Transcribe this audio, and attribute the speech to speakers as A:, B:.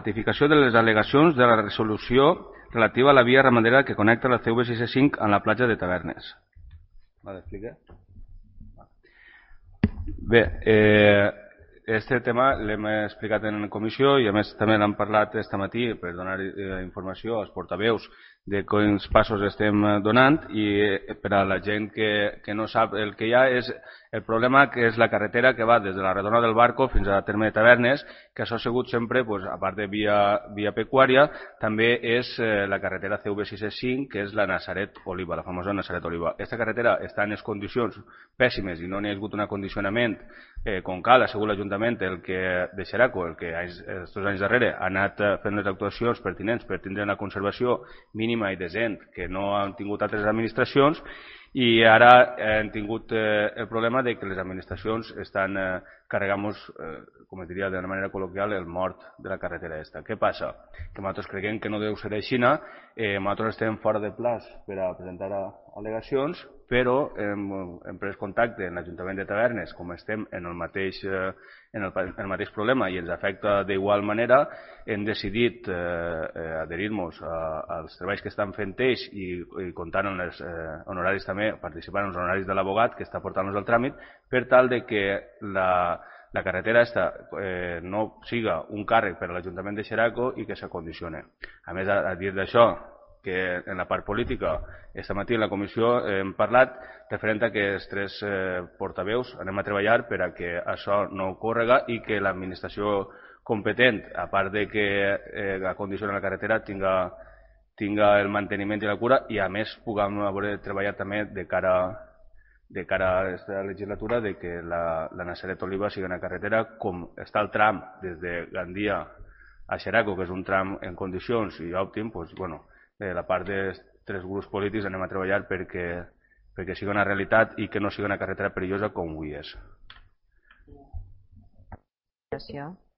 A: Ratificació de les al·legacions de la resolució relativa a la via ramadera que connecta la CV665 amb la platja de Tavernes. ¿Vale, explica? Bé, este tema l'hem explicat en comissió i a més també l'hem parlat este matí per donar informació als portaveus de quins passos estem donant i per a la gent que no sap el que hi ha és el problema que és la carretera que va des de la Redona del Barco fins a terme de Tavernes, que això ha sigut sempre, a part de via pecuària, també és la carretera CV665, que és la Nazaret-Oliva, la famosa Nazaret-Oliva. Aquesta carretera està en condicions pèssimes i no n'hi ha hagut un acondicionament com cal, ha sigut l'Ajuntament el que de Xeraco, el que aquests anys darrere ha anat fent les actuacions pertinents per tindre una conservació mínima i decent que no han tingut altres administracions i ara hem tingut el problema de que les administracions estan carregant-nos, com es diria d'una manera col·loquial, el mort de la carretera aquesta. Què passa? Que nosaltres creiem que no deu ser així, nosaltres estem fora de plaç per a presentar al·legacions, però hem pres contacte amb l'Ajuntament de Tavernes, com estem en el mateix problema i ens afecta d'igual manera, hem decidit adherir-nos als treballs que estan fent ells i comptant amb els honoraris també, participant en els honoraris de l'abogat que està portant-nos el tràmit, per tal de que la carretera no siga un càrrec per a l'Ajuntament de Xeraco i que s'acondicione. A més, a dir d'això, que en la part política, aquesta matí en la comissió hem parlat referent a que els tres portaveus anem a treballar per a que això no ocórrega i que l'administració competent, a part de que acondiciona la carretera, tinga el manteniment i la cura i a més puguem treballar també de cara a aquesta legislatura de que la Nazaret-Oliva sigui una carretera com està el tram des de Gandia a Xeraco, que és un tram en condicions i òptim, la part dels tres grups polítics anem a treballar perquè sigui una realitat i que no sigui una carretera perillosa com avui és.
B: Gràcies.